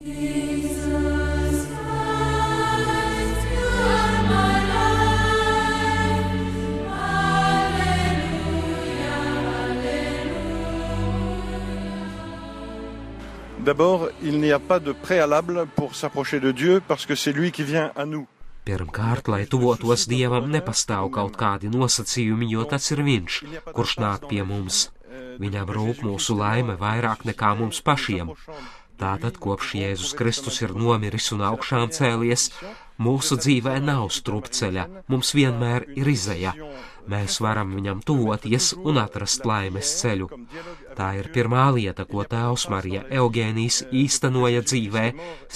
D'abord, il n'y a pas de préalable pour s'approcher de Dieu parce que c'est lui qui vient à nous. Pirmkārt, lai tuvotos Dievam, nepastāv kaut kādi nosacījumi, jo tas ir Viņš, kurš nāk pie mums. Viņam rūp mūsu laime vairāk nekā mums pašiem. Tātad, kopš Jēzus Kristus ir nomiris un augšām cēlies, mūsu dzīvē nav strupceļa, mums vienmēr ir izeja. Mēs varam viņam tuvoties un atrast laimes ceļu. Tā ir pirmā lieta, ko tēvs Marija Eugēnijs īstenoja dzīvē,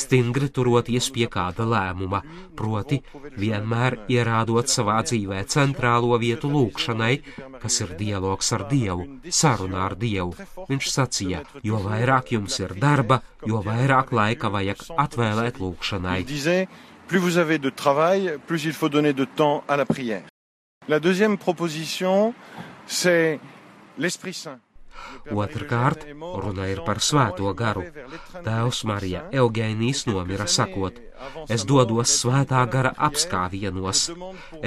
stingri turoties pie kāda lēmuma, proti vienmēr ierādot savā dzīvē centrālo vietu lūgšanai, kas ir dialogs ar Dievu, saruna ar Dievu. Viņš sacīja, jo vairāk jums ir darba, jo vairāk laika vajag atvēlēt lūgšanai. Plus vous avez de travail, plus il faut donner de temps à la prière. La deuxième proposition, c'est l'Esprit Saint. Otrkārt, runa ir par svēto garu. Tēvs Marija Eugēnijs nomira sakot, es dodos svētā gara apskāvienos.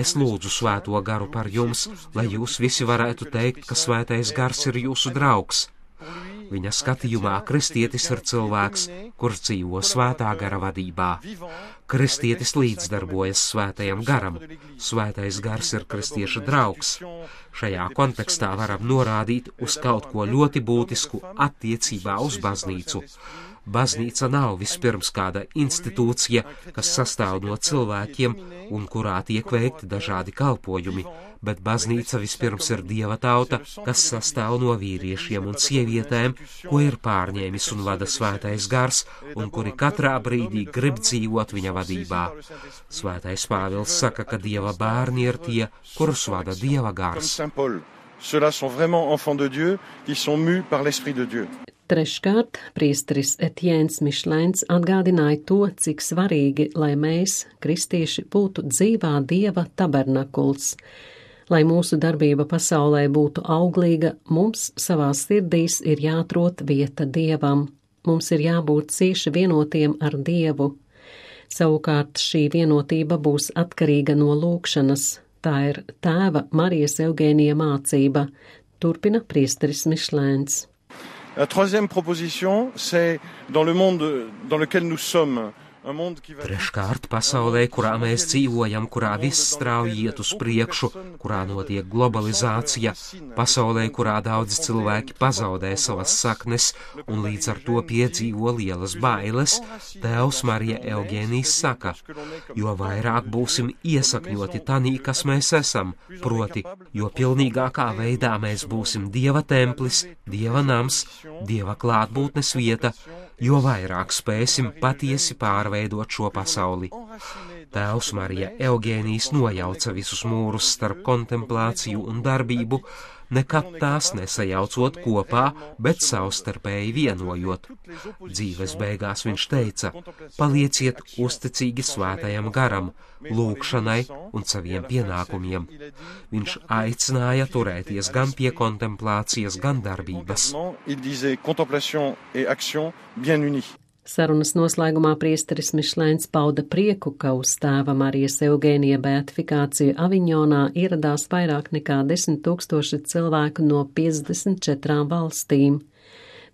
Es lūdzu svēto garu par jums, lai jūs visi varētu teikt, ka svētais gars ir jūsu draugs. Viņa skatījumā kristietis ir cilvēks, kurš dzīvo svētā gara vadībā. Kristietis līdzdarbojas svētajam garam. Svētais gars ir kristieša draugs. Šajā kontekstā varam norādīt uz kaut ko ļoti būtisku attiecībā uz baznīcu. Baznīca nav vispirms kāda institūcija, kas sastāv no cilvēkiem un kurā tiek veikti dažādi kalpojumi, bet baznīca vispirms ir Dieva tauta, kas sastāv no vīriešiem un sievietēm, ko ir pārņēmis un vada svētais gars, un kuri katrā brīdī grib dzīvot viņa vadībā. Svētais Pāvils saka, ka Dieva bērni ir tie, kurus vada Dieva gars. Ceux-là sont vraiment enfants de Dieu, qui sont mus par l'Esprit de Dieu. Treškārt, priesteris Etiens Mišlēns atgādināja to, cik svarīgi, lai mēs, kristieši, būtu dzīvā Dieva tabernakuls. Lai mūsu darbība pasaulē būtu auglīga, mums savās sirdīs ir jāatrod vieta Dievam. Mums ir jābūt cieši vienotiem ar Dievu. Savukārt šī vienotība būs atkarīga no lūgšanas. Tā ir tēva Marijas Eugēnija mācība, turpina priesteris Mišlēns. La troisième proposition, c'est dans le monde dans lequel nous sommes. Treškārt, pasaulē, kurā mēs dzīvojam, kurā viss strauji iet uz priekšu, kurā notiek globalizācija, pasaulē, kurā daudzi cilvēki pazaudē savas saknes un līdz ar to piedzīvo lielas bailes, tēvs Marija Eugēnijs saka, jo vairāk būsim iesakņoti tanī, kas mēs esam, proti, jo pilnīgākā veidā mēs būsim Dieva templis, Dieva nams, Dieva klātbūtnes vieta, jo vairāk spēsim patiesi pārveidot šo pasauli. Tēvs Marija Eugēnijs nojauca visus mūrus starp kontemplāciju un darbību, nekad tās nesajaucot kopā, bet savstarpēji vienojot. Dzīves beigās viņš teica, palieciet uzticīgi svētajam garam, lūgšanai un saviem pienākumiem. Viņš aicināja turēties gan pie kontemplācijas, gan darbības. Sarunas noslēgumā priesteris Mišlēns pauda prieku, ka uz tēva Marijas Eugēnija beatifikāciju Aviņonā ieradās vairāk nekā 10 000 cilvēku no 54 valstīm.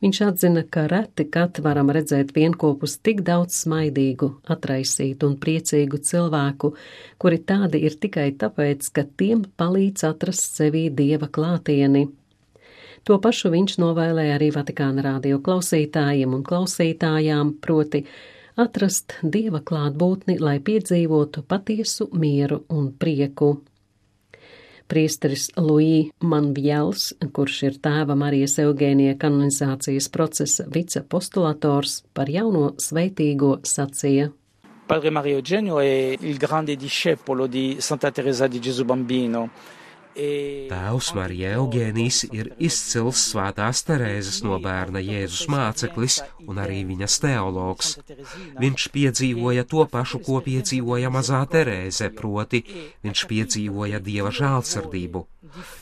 Viņš atzina, ka reti kad varam redzēt vienkopus tik daudz smaidīgu, atraisītu un priecīgu cilvēku, kuri tādi ir tikai tāpēc, ka tiem palīdz atrast sevī Dieva klātieni. To pašu viņš novēlēja arī Vatikāna radio klausītājiem un klausītājām, proti atrast Dieva klātbūtni, lai piedzīvotu patiesu mieru un prieku. Priesteris Louis Manvjels, kurš ir tēva Marijas Eugēnija kanonizācijas procesa vicepostulators, par jauno sveitīgo sacīja. Padre Mario Eugenio è il grande discepolo di Santa Teresa di Gesù Bambino. Tēvs Marija Eugēnijs ir izcils svētās Terēzes no bērna Jēzus māceklis un arī viņas teologs. Viņš piedzīvoja to pašu, ko piedzīvoja mazā Terēze, proti viņš piedzīvoja Dieva žēlsirdību.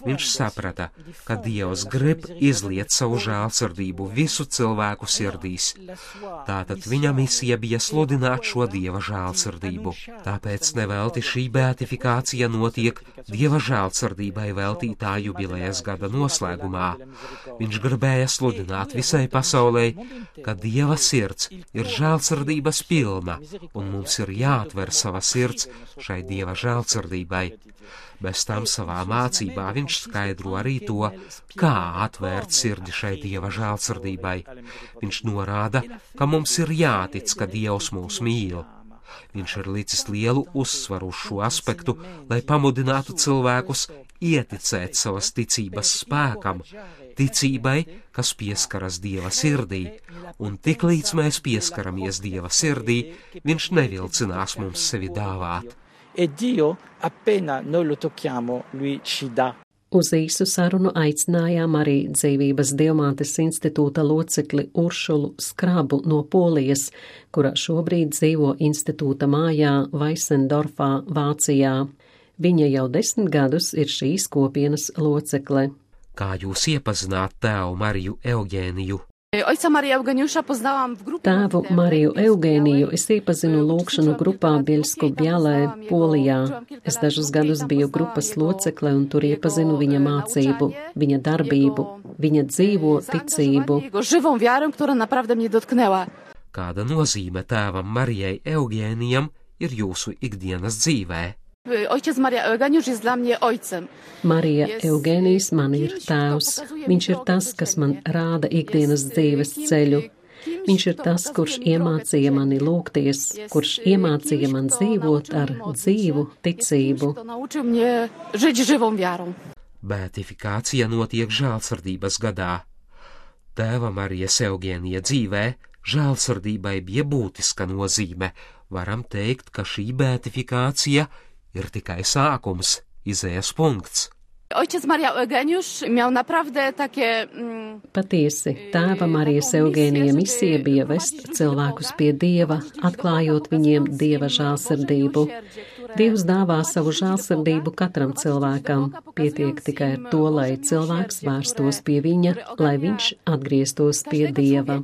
Viņš saprata, ka Dievs grib izliet savu žēlsirdību visu cilvēku sirdīs. Tātad viņa misija bija sludināt šo Dieva žēlsirdību. Tāpēc nevelti šī beatifikācija notiek Dieva žēlsirdībai veltītā jubilejas gada noslēgumā. Viņš gribēja sludināt visai pasaulē, ka Dieva sirds ir žēlsirdības pilna, un mums ir jāatver sava sirds šai Dieva žēlsirdībai. Bez tam savā mācībā viņš skaidro arī to, kā atvērt sirdi šai Dieva žēlsirdībai. Viņš norāda, ka mums ir jātic, ka Dievs mūs mīl. Viņš ir licis lielu uzsvaru uz šo aspektu, lai pamudinātu cilvēkus ieticēt savas ticības spēkam, ticībai, kas pieskaras Dieva sirdī, un tiklīdz mēs pieskaramies Dieva sirdī, viņš nevilcinās mums sevi dāvāt. Uz īsu sarunu aicinājām arī Dzīvības Dievmātes institūta locekli Uršulu Skrabu no Polijas, kura šobrīd dzīvo institūta mājā Vaisendorfā, Vācijā. Viņa jau 10 gadus ir šīs kopienas locekle. Kā jūs iepazināt tēvu Mariju Eugēniju? Tēvu Mariju Eugēniju es iepazinu lūgšanu grupā Bieļsko-Bjalē, Polijā. Es dažus gadus biju grupas locekle un tur iepazinu viņa mācību, viņa darbību, viņa dzīvo ticību. Kāda nozīme tēvam Marijai Eugēnijam ir jūsu ikdienas dzīvē? Ojciec Marija Eugeniusz jest dla mnie ojcem. Marija Eugēnijs man ir tēvs. Viņš ir tas, kas man rāda ikdienas dzīves ceļu. Viņš ir tas, kurš iemācīja mani lūgties, kurš iemācīja man dzīvot ar dzīvu ticību. Beatifikācija notiek žēlsirdības gadā. Tēva Marijas Eugēnija dzīvē žēlsirdībai bija būtiska nozīme. Varam teikt, ka šī beatifikācija ir tikai sākums, izējas punkts. Ojciec Marija Eugeniusz miał naprawdę takie... Patiesi, tēva Marijas Eugēnija misija bija vest cilvēkus pie Dieva, atklājot viņiem Dieva žēlsirdību. Dievs dāvā savu žēlsirdību katram cilvēkam. Pietiek tikai ar to, lai cilvēks vērstos pie viņa, lai viņš atgrieztos pie Dieva.